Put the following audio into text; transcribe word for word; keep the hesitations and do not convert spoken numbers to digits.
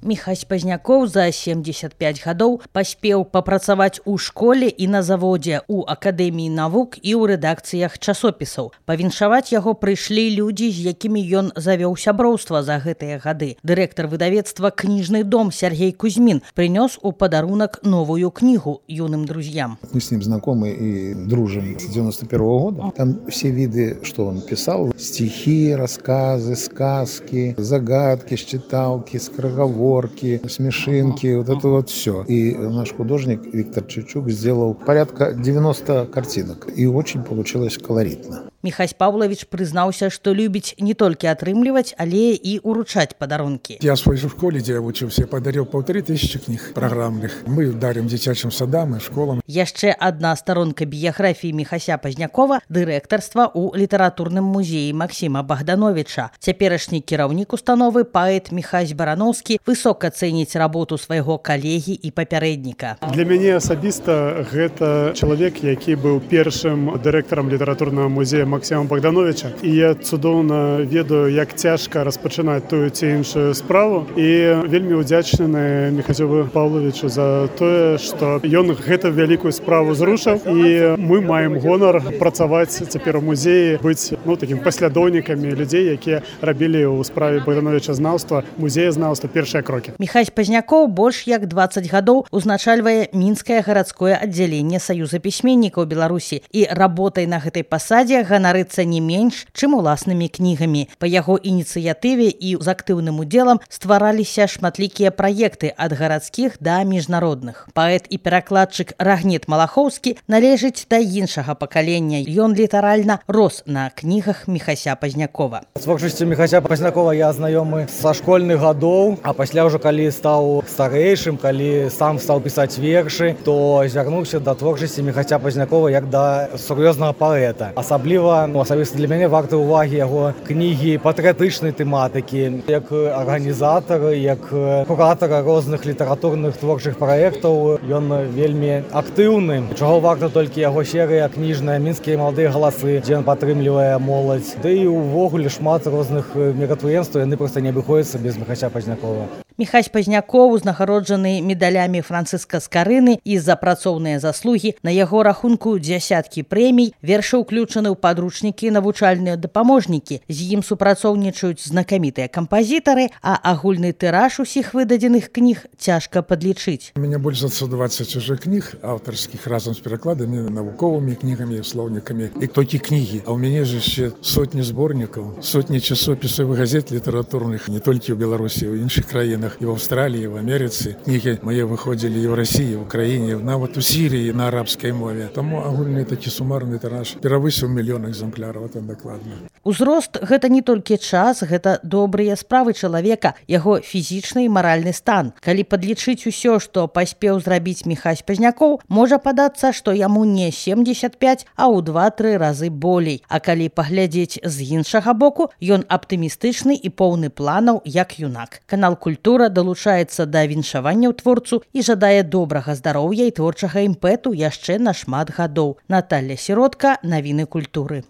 Міхась Пазнякоў за семьдесят пять гадоў паспеў папрацаваць у школе і на заводзе, у акадэміі навук і ў рэдакцыях часопісаў. Павіншаваць яго прыйшлі людзі, з якімі ён завёў сяброўства за гэтыя гады. Дырэктар выдавецтва «Книжный дом» Сергей Кузьмин принес у подарунок новую книгу юным друзьям. Мы с ним знакомы и дружим с девяносто первого года. Там все виды, что он писал: стихи, рассказы, сказки, загадки, считалки, скороговорки, смешинки, вот это вот все. И наш художник Виктор Чучук сделал порядка девяноста картинок. И очень получилось колоритно. Міхась Павлович признался, что любит не только отрымливать, але и уручать подарунки. Я в своей школе, где я учился, подарил полторы тысячи книг программных. Мы дарим детячим садам и школам. Яшчэ одна сторонка биографии Міхася Пазнякова – директорство у литературном музее Максима Богдановича. Цяперашні кіраўнік установы паэт Міхась Барановский высоко цэніць работу свайго калегі і папярэдніка. Для мяне асабіста гэта чалавек, які быў першым дырэктарам літаратурнага музея Максима Богдановича. І я цудоўна ведаю, як цяжка распачынаць тую ці іншую справу. І вельмі удзячны Міхасю Павловичу за тое, што ён гэту вялікую справу зрушыў. І мы маем гонар працаваць цяпер у музеі, быць ну, такім паслядоўнікамі людзей, якія рабілі ў справе Богдановича знаўства, музеязнаўства першыя крокі. Міхась Пазнякоў больш як дваццаць гадоў узначальвае Мінскае гарадское аддзяленне Саюза пісьменнікаў Беларусі і работай на гэтай пасадзе ганарыцца не менш, чым уласнымі кнігамі. Па яго ініцыятыве і з актыўным удзелам ствараліся шматлікія праекты ад гарадскіх да міжнародных. Паэт і перакладчык Рагнет Малахоўскі належыць да іншага пакалення. Ён літаральна рос на кнігах Міхася Пазнякова. З творчасцю Міхася Пазнякова я знаёмы са школьных гадоў, а пасля ўжо калі стаў старэйшым, калі сам стаў пісаць вершы, то звярнуўся да творчасці Міхася Пазнякова як да сур'ёзнага паэта. Асабліва ну, асабіста для мяне варты ўвагі яго кнігі патрыятычнай тэматыкі, як арганізатар, як куратар розных літаратурных творчых праектаў. Ён вельмі актыўны, чаго варта толькі яго серыя кніжная «Мінскія маладыя галасы», дзе ён падтрымлівае моладзь. Ды і ўвогуле шмат розных мерапрыемстваў, яны проста не абыходзяцца без Міхася Пазнякова. Міхась Пазнякоў узнагароджаны медалямі Францыска Скарыны і за працоўныя заслугі. На яго рахунку дзясяткі прэмій, вершы ўключаны ў падручнікі, навучальныя дапаможнікі. З ім супрацоўнічаюць знакамітыя кампазітары, а агульны тыраж усіх выдадзеных кніг цяжка падлічыць. У меня больше за двадцать уже книг авторских, разом с перекладами, науковыми книгами, словниками и только книги. А у меня же еще сотни сборников, сотни часописов и газет литературных, не только в Беларуси, а в інших краинах, и в Австралии, и в Америке. Книги мои выходили и в России, и в Украине, на вот у Сирии на арабской мове. Тому агульный таки суммарный тираж перавысіў мільён экземпляраў, это дакладна. Узрост гэта не толькі час, гэта добрыя справы чалавека, яго фізічны і маральны стан. Калі падлічыць усё, што паспеў зрабіць Міхась Пазнякоў, можа падацца, што яму не семьдесят пять, а ў два-тры разы болей. А калі паглядзець з іншага боку, ён аптымістычны і поўны планаў, як юнак. Канал «Культура» далучаецца да віншаванняў творцу і жадае добрага здароўя і творчага імпэту яшчэ на шмат гадоў. Наталья Сіротка, навіны культуры.